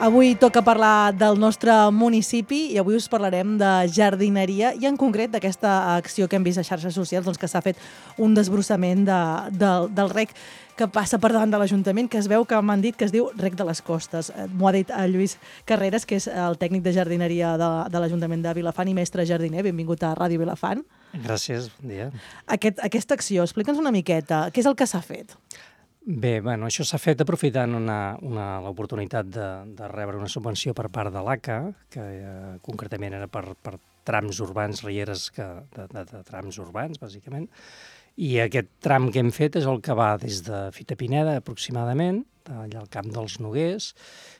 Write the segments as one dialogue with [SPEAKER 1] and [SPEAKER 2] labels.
[SPEAKER 1] Avui toca parlar del nostre municipi i avui us parlarem de jardineria i en concret d'aquesta acció que hem vist a xarxes socials, doncs que s'ha fet un desbrossament del rec que passa per davant de l'Ajuntament, que es veu que m'han dit que es diu Rec de les Costes. M'ho ha dit el Lluís Carreras, que és el tècnic de jardineria de l'Ajuntament de Vilafant i mestre jardiner. Benvingut a Ràdio Vilafant.
[SPEAKER 2] Gràcies, bon dia.
[SPEAKER 1] Aquesta acció, explica'ns una miqueta, què és el que s'ha fet?
[SPEAKER 2] Bé, bueno, això s'ha fet aprofitant l'oportunitat de rebre una subvenció per part de l'ACA, que concretament era per trams urbans, rieres de trams urbans, bàsicament, i aquest tram que hem fet és el que va des de Fita Pineda, aproximadament, allà al Camp dels Noguers,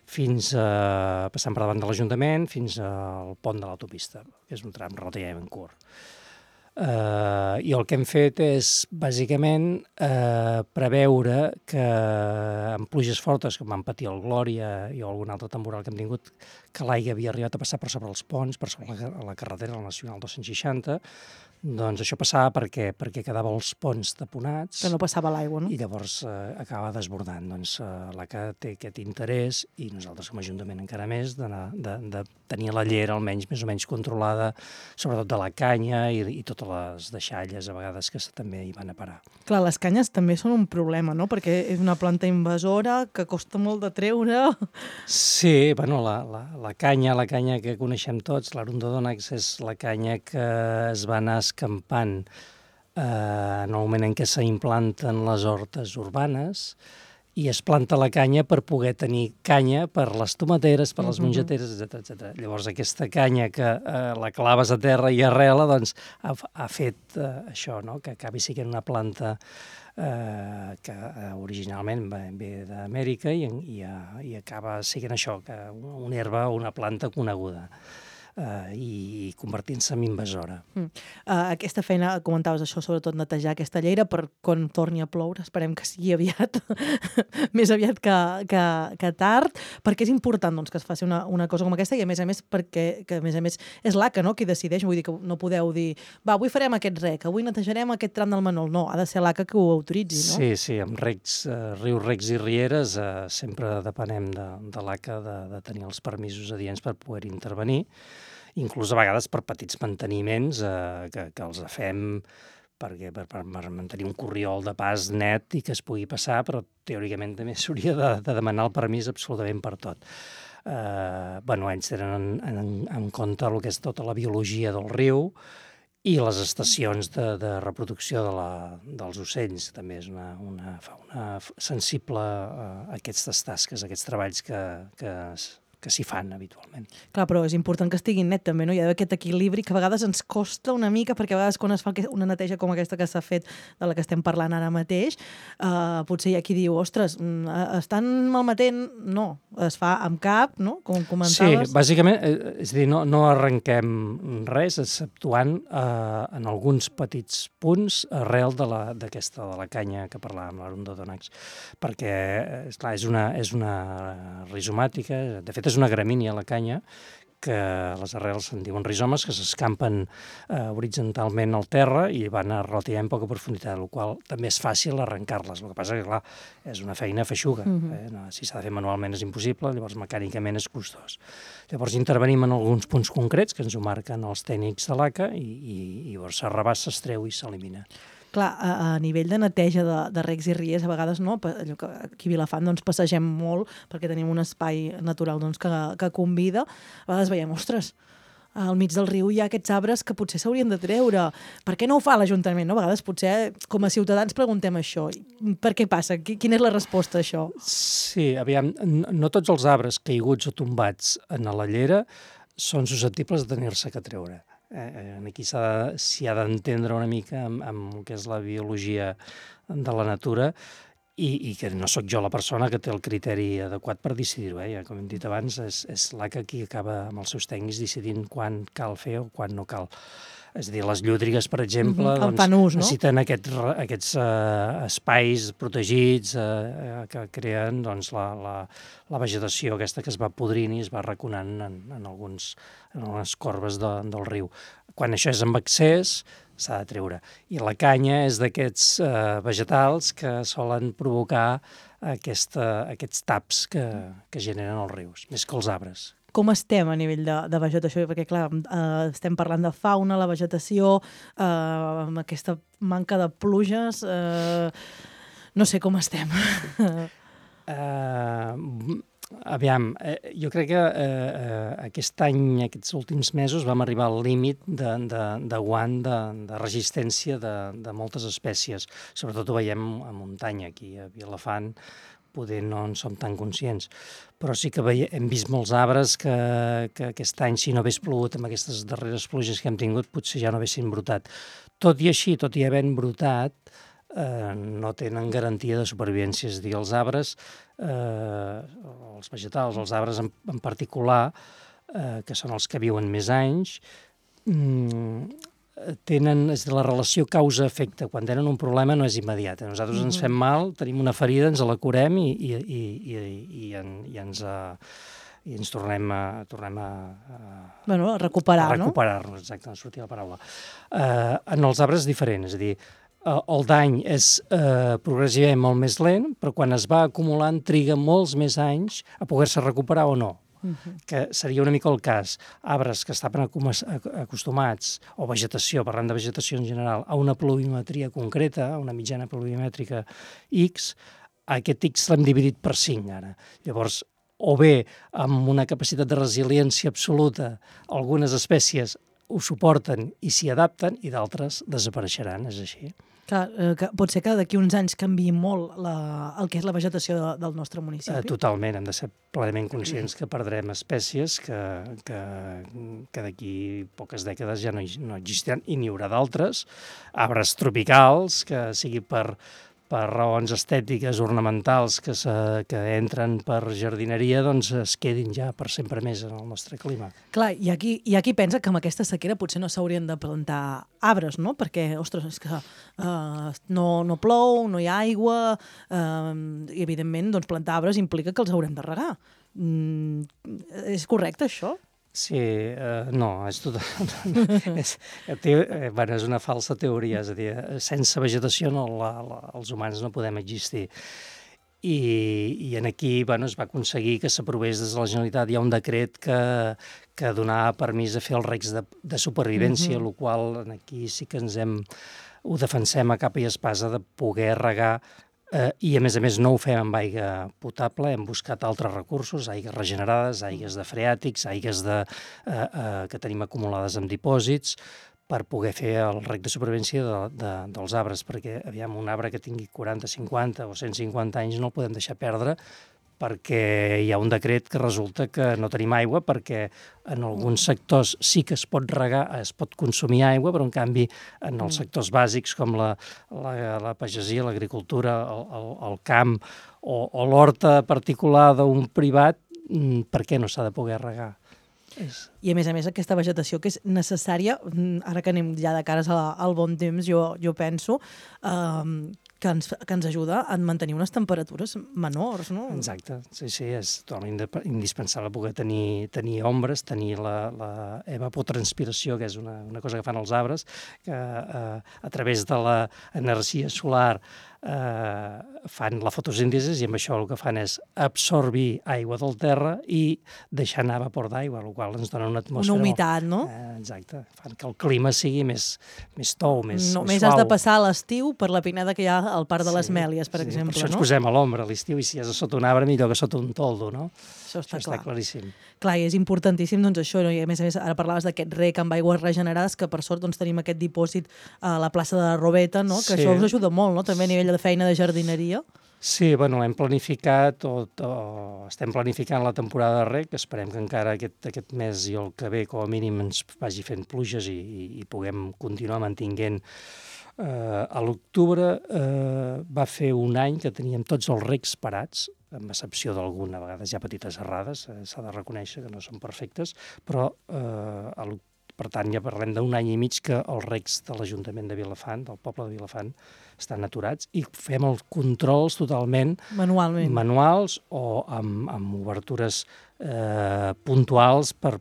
[SPEAKER 2] passant per davant de l'Ajuntament, fins al pont de l'autopista, que és un tram relativament curt. I el que hem fet és, bàsicament, preveure que amb pluges fortes, com van patir el Glòria i algun altre temporal que hem tingut, que l'aigua havia arribat a passar per sobre els ponts, per sobre la carretera, la Nacional 260, doncs això passava perquè quedava els ponts taponats.
[SPEAKER 1] Que no passava l'aigua, no?
[SPEAKER 2] I llavors acaba desbordant. Doncs l'ACA té aquest interès, i nosaltres com a Ajuntament encara més, de tenir la llera almenys més o menys controlada, sobretot de la canya i totes les deixalles a vegades que també hi van a parar.
[SPEAKER 1] Clar, les canyes també són un problema, no? Perquè és una planta invasora que costa molt de treure.
[SPEAKER 2] Sí, bueno, la canya que coneixem tots, l'Arundodònax, és la canya que es va anar escampant en el moment en què s'implanten les hortes urbanes, i es planta la canya per poder tenir canya per les tomateres, per les mongeteres, etc. Llavors aquesta canya que la claves a terra i arrela, doncs ha fet això, no? Que acabi sent una planta que originalment ve d'Amèrica i acaba sent això, que una herba o una planta coneguda. I convertint-se en invasora.
[SPEAKER 1] Aquesta feina, comentaves això, sobretot netejar aquesta llera per quan torni a ploure, esperem que sigui aviat, més aviat que tard, perquè és important doncs, que es faci una cosa com aquesta i a més perquè a més és l'ACA, no?, qui decideix, vull dir que no podeu dir va, avui farem aquest rec, avui netejarem aquest tram del Manol, no, ha de ser l'ACA que ho autoritzi, no?
[SPEAKER 2] Sí, amb rius, recs i rieres sempre depenem de l'ACA de tenir els permisos adients per poder intervenir, inclús a vegades per petits manteniments que els fem per mantenir un corriol de pas net i que es pugui passar, però teòricament també s'hauria de demanar el permís absolutament per tot. Ells tenen en compte el que és tota la biologia del riu i les estacions de reproducció dels ocells. També és una fauna sensible a aquestes tasques, a aquests treballs que s'hi fan habitualment.
[SPEAKER 1] Clar, però és important que estigui net també, no? Hi ha d'haver aquest equilibri que a vegades ens costa una mica, perquè a vegades quan es fa una neteja com aquesta que s'ha fet, de la que estem parlant ara mateix, potser hi ha qui diu, ostres, estan malmetent? No, es fa amb cap, no?, com comentaves.
[SPEAKER 2] Sí, bàsicament, és a dir, no arrenquem res, exceptuant en alguns petits punts arrel de la canya que parlàvem, l'Arundodònax, perquè, esclar, és una rizomàtica, de fet és una gramínia, la canya, que les arrels se'n diuen rizomes, que s'escampen horitzontalment al terra i van a relativament poca profunditat, el qual també és fàcil arrencar-les. El que passa que, clar, és una feina feixuga. Si s'ha de fer manualment és impossible, llavors mecànicament és costós. Llavors intervenim en alguns punts concrets que ens ho marquen els tècnics de l'ACA i llavors s'arrabassa, s'estreu i s'elimina.
[SPEAKER 1] Clar, a nivell de neteja de recs i riers, a vegades no, allò que aquí a Vilafant doncs, passegem molt perquè tenim un espai natural doncs, que convida. A vegades veiem, ostres, al mig del riu hi ha aquests arbres que potser s'haurien de treure. Per què no ho fa l'Ajuntament? No? A vegades potser com a ciutadans preguntem això. Per què passa? Quina és la resposta a això?
[SPEAKER 2] Sí, aviam, no tots els arbres caiguts o tombats en la llera són susceptibles de tenir-se que treure. Aquí s'hi ha d'entendre una mica amb el que és la biologia de la natura i que no sóc jo la persona que té el criteri adequat per decidir-ho. Ja, com hem dit abans, és l'ACA qui acaba amb els seus tècnics decidint quan cal fer o quan no cal. És a dir, les llúdrigues, per exemple, necessiten aquests espais protegits que creen la vegetació aquesta que es va podrint i es va raconant en algunes corbes del riu. Quan això és amb excés, s'ha de treure. I la canya és d'aquests vegetals que solen provocar aquests taps que generen els rius, més que els arbres.
[SPEAKER 1] Com estem a nivell de vegetació? Perquè, clar, estem parlant de fauna, la vegetació, amb aquesta manca de pluges, no sé com estem.
[SPEAKER 2] Aviam, jo crec que aquest any, aquests últims mesos, vam arribar al límit de guant de resistència de moltes espècies. Sobretot ho veiem a muntanya, aquí a Vilafant, poder no en som tan conscients. Però sí que hem vist molts arbres que aquest any, si no hagués plogut amb aquestes darreres pluges que hem tingut, potser ja no haguessin brotat. Tot i així, tot i havent brotat, no tenen garantia de supervivència. És a dir, els arbres, els vegetals, els arbres en particular, que són els que viuen més anys, tenen la relació causa-efecte. Quan tenen un problema no és immediat. Nosaltres ens fem mal, tenim una ferida, ens la curem i ens tornem a
[SPEAKER 1] recuperar, no?
[SPEAKER 2] A recuperar-nos, exacte, no sortia la paraula. En els arbres és diferent, és a dir, el dany és progressivament molt més lent, però quan es va acumulant triga molts més anys a poder-se recuperar o no. Que seria una mica el cas. Arbres que estaven acostumats, o vegetació, parlant de vegetació en general, a una pluviometria concreta, a una mitjana pluviomètrica X, aquest X l'hem dividit per 5 ara. Llavors, o bé amb una capacitat de resiliència absoluta, algunes espècies ho suporten i s'hi adapten i d'altres desapareixeran, és així.
[SPEAKER 1] Clar, pot ser que d'aquí uns anys canviï molt el que és la vegetació del nostre municipi.
[SPEAKER 2] Totalment, hem de ser plenament conscients que perdrem espècies que d'aquí poques dècades ja no existiran i n'hi haurà d'altres, arbres tropicals, que sigui per raons estètiques, ornamentals, que entren per jardineria, doncs es quedin ja per sempre més en el nostre clima.
[SPEAKER 1] Clar, i aquí pensa que amb aquesta sequera potser no s'haurien de plantar arbres, no? Perquè, ostres, és que no plou, no hi ha aigua, i evidentment doncs, plantar arbres implica que els haurem de regar. És correcte, això?
[SPEAKER 2] Sí, no, és és una falsa teoria, és a dir, sense vegetació els humans no podem existir. I aquí es va aconseguir que s'aprovés des de la Generalitat. Hi ha un decret que donava permís a fer els recs de supervivència, el qual aquí sí que ho defensem a capa i espasa de poder regar, i a més no ho fem amb aigua potable, hem buscat altres recursos, aigues regenerades, aigues de freàtics, aigues que tenim acumulades en dipòsits, per poder fer el rec de supervivència dels arbres, perquè un arbre que tingui 40, 50 o 150 anys no el podem deixar perdre, perquè hi ha un decret que resulta que no tenim aigua, perquè en alguns sectors sí que es pot regar, es pot consumir aigua, però en canvi en els sectors bàsics com la pagesia, l'agricultura, el camp o l'horta particular d'un privat, per què no s'ha de poder regar?
[SPEAKER 1] I a més aquesta vegetació que és necessària, ara que anem ja de cares al bon temps, jo penso que ens ajuda a mantenir unes temperatures menors, no?
[SPEAKER 2] Exacte, sí, és totalment indispensable poder tenir ombres, tenir la evapotranspiració, que és una cosa que fan els arbres, que a través de l'energia solar fan la fotosíntesi i amb això el que fan és absorbir aigua del terra i deixar anar vapor d'aigua, el qual ens dona una atmosfera...
[SPEAKER 1] Una humitat, no?
[SPEAKER 2] Exacte, fan que el clima sigui més tou, més suau.
[SPEAKER 1] Només has de passar l'estiu per la pineda que hi ha al Parc de les Mèlies, per exemple,
[SPEAKER 2] per això ens posem a l'ombra a l'estiu i si és sota un arbre millor que sota un toldo, no?
[SPEAKER 1] Això està
[SPEAKER 2] claríssim.
[SPEAKER 1] Clar, i és importantíssim doncs això, no? I a més ara parlaves d'aquest rec amb aigües regenerades, que per sort doncs tenim aquest dipòsit a la plaça de la Robeta, no? Que això us ajuda molt, no? També a nivell de feina de jardineria.
[SPEAKER 2] Sí, hem planificat estem planificant la temporada de rec, esperem que encara aquest mes i el que ve com a mínim ens vagi fent pluges i puguem continuar mantinguent. A l'octubre va fer un any que teníem tots els recs parats, amb excepció d'alguna, a vegades hi ha petites errades, s'ha de reconèixer que no són perfectes, però Per tant, ja parlem d'un any i mig que els recs de l'Ajuntament de Vilafant, del poble de Vilafant, estan aturats i fem els controls totalment manuals o amb obertures puntuals per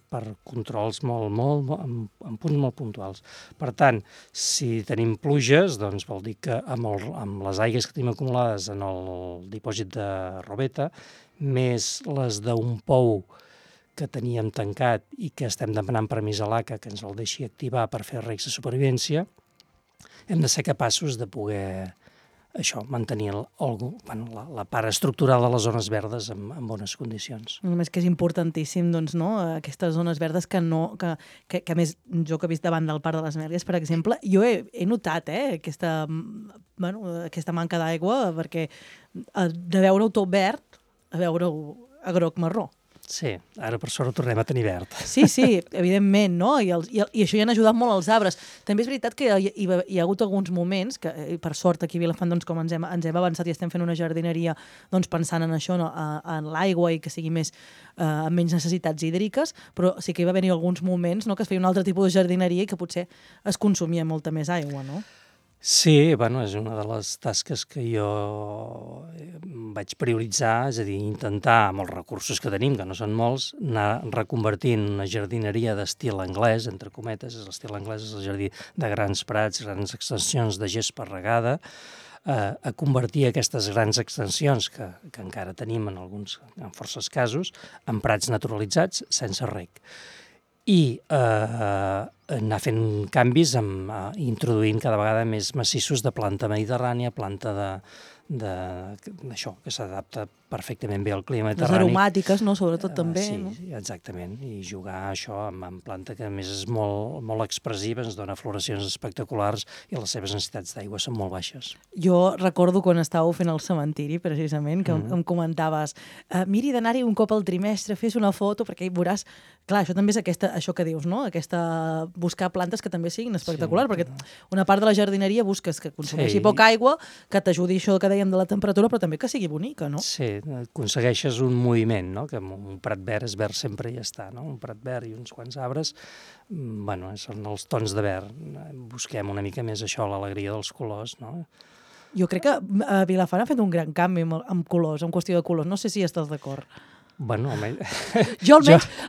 [SPEAKER 2] controls amb punts molt puntuals. Per tant, si tenim pluges, doncs vol dir que amb les aigues que tenim acumulades en el dipòsit de Robeta, més les d'un pou que teníem tancat i que estem demanant permís a l'ACA que ens el deixi activar per fer recs de supervivència, hem de ser capaços de poder mantenir la part estructural de les zones verdes en bones condicions.
[SPEAKER 1] Només que és importantíssim, doncs, no? Aquestes zones verdes que a més, jo que he vist davant del Parc de les Mèlies, per exemple, jo he notat aquesta manca d'aigua, perquè de veure-ho tot verd a veure-ho a groc-marró.
[SPEAKER 2] Sí, ara per sort ho tornem a tenir verd.
[SPEAKER 1] Sí, evidentment, no? I això hi han ajudat molt els arbres. També és veritat que hi ha hagut alguns moments, que per sort aquí a Vilafant, doncs, com ens hem avançat i estem fent una jardineria doncs, pensant en això, no? En l'aigua i que sigui amb menys necessitats hídriques, però sí que hi va haver alguns moments, no? Que es feia un altre tipus de jardineria i que potser es consumia molta més aigua, no?
[SPEAKER 2] Sí, és una de les tasques que jo vaig prioritzar, és a dir, intentar, amb els recursos que tenim, que no són molts, anar reconvertint una jardineria d'estil anglès, entre cometes, l'estil anglès és el jardí de grans prats, grans extensions de gespa regada, a convertir aquestes grans extensions que encara tenim en forces casos, en prats naturalitzats sense reg. I anar fent canvis introduint cada vegada més massissos de planta mediterrània, planta d'això, que s'adapta perfectament bé al clima mediterrani.
[SPEAKER 1] Les aromàtiques, no? Sobretot també.
[SPEAKER 2] Sí,
[SPEAKER 1] no?
[SPEAKER 2] Exactament. I jugar això amb planta que a més és molt expressiva, ens dona floracions espectaculars i les seves necessitats d'aigua són molt baixes.
[SPEAKER 1] Jo recordo quan estàveu fent el cementiri, precisament, que em comentaves miri d'anar-hi un cop al trimestre, fes una foto, perquè hi veuràs... Clar, això també és això que dius, no? Buscar plantes que també siguin espectaculars, perquè una part de la jardineria busques que consumeixi poca aigua, que t'ajudi això que dèiem de la temperatura, però també que sigui bonica, no?
[SPEAKER 2] Sí, aconsegueixes un moviment, no? Que un prat verd és verd sempre i ja està, no? Un prat verd i uns quants arbres, són els tons de verd. Busquem una mica més això, l'alegria dels colors, no?
[SPEAKER 1] Jo crec que Vilafant ha fet un gran canvi amb colors, en qüestió de colors. No sé si estàs d'acord.
[SPEAKER 2] Jo
[SPEAKER 1] almenys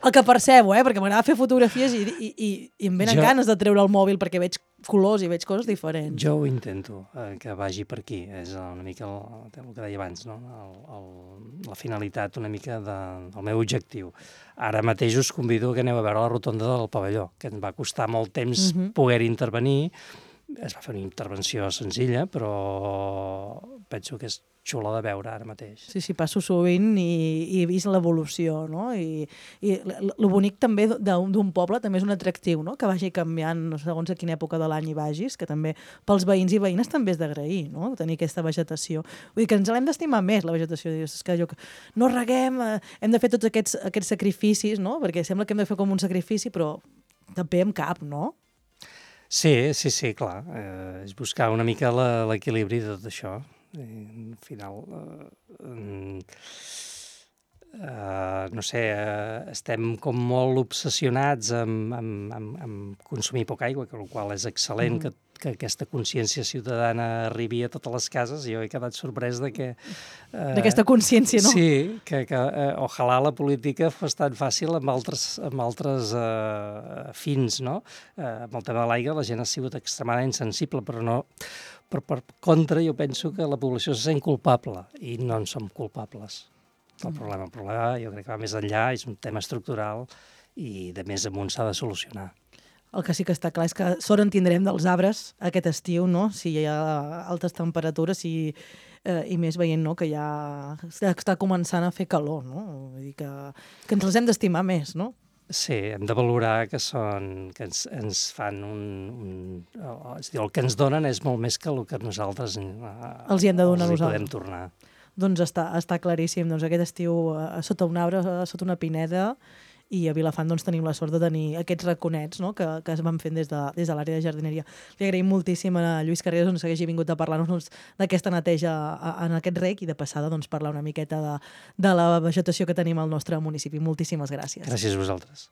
[SPEAKER 1] el que percebo, perquè m'agrada fer fotografies i em venen ganes de treure el mòbil perquè veig colors i veig coses diferents.
[SPEAKER 2] Jo ho intento, que vagi per aquí. És una mica el que deia abans, no? La finalitat una mica del meu objectiu. Ara mateix us convido que aneu a veure la rotonda del pavelló, que ens va costar molt temps poder intervenir. Es va fer una intervenció senzilla, però penso que és xula de veure ara mateix.
[SPEAKER 1] Sí, passo sovint i he vist l'evolució, no? I el bonic també d'un poble també és un atractiu, no? Que vagi canviant segons a quina època de l'any hi vagis, que també pels veïns i veïnes també és d'agrair, no? Tenir aquesta vegetació. Vull dir que ens l'hem d'estimar més, la vegetació. És que no reguem, hem de fer tots aquests sacrificis, no? Perquè sembla que hem de fer com un sacrifici, però també amb cap, no?
[SPEAKER 2] Sí, clar. És buscar una mica l'equilibri de tot això. Al final, no sé, estem com molt obsessionats amb consumir poca aigua, el qual és excel·lent que aquesta consciència ciutadana arribi a totes les cases. Jo he quedat sorprès
[SPEAKER 1] d'aquesta consciència, no?
[SPEAKER 2] Sí, que ojalà la política fos tan fàcil amb altres fins, no? Amb el tema de l'aigua la gent ha sigut extremadament sensible, però no... Per contra, jo penso que la població se sent culpable i no en som culpables. El problema jo crec que va més enllà, és un tema estructural i de més amunt s'ha de solucionar.
[SPEAKER 1] El que sí que està clar és que sort en tindrem dels arbres aquest estiu, no? Si hi ha altes temperatures i més veient, no? Que ja està començant a fer calor, no? Vull dir que ens els hem d'estimar més, no?
[SPEAKER 2] Sí, hem de valorar que ens fan és a dir, el que ens donen és molt més que el que nosaltres
[SPEAKER 1] els hi hem de donar a nosaltres.
[SPEAKER 2] Podem tornar.
[SPEAKER 1] Doncs està claríssim. Doncs aquest estiu sota un arbre, sota una pineda, i a Vilafant doncs, tenim la sort de tenir aquests raconets, no? que es van fent des de l'àrea de jardineria. Li agraïm moltíssim a Lluís Carreras que hagi vingut a parlar-nos d'aquesta neteja en aquest rec i de passada doncs, parlar una miqueta de la vegetació que tenim al nostre municipi. Moltíssimes gràcies.
[SPEAKER 2] Gràcies a vosaltres.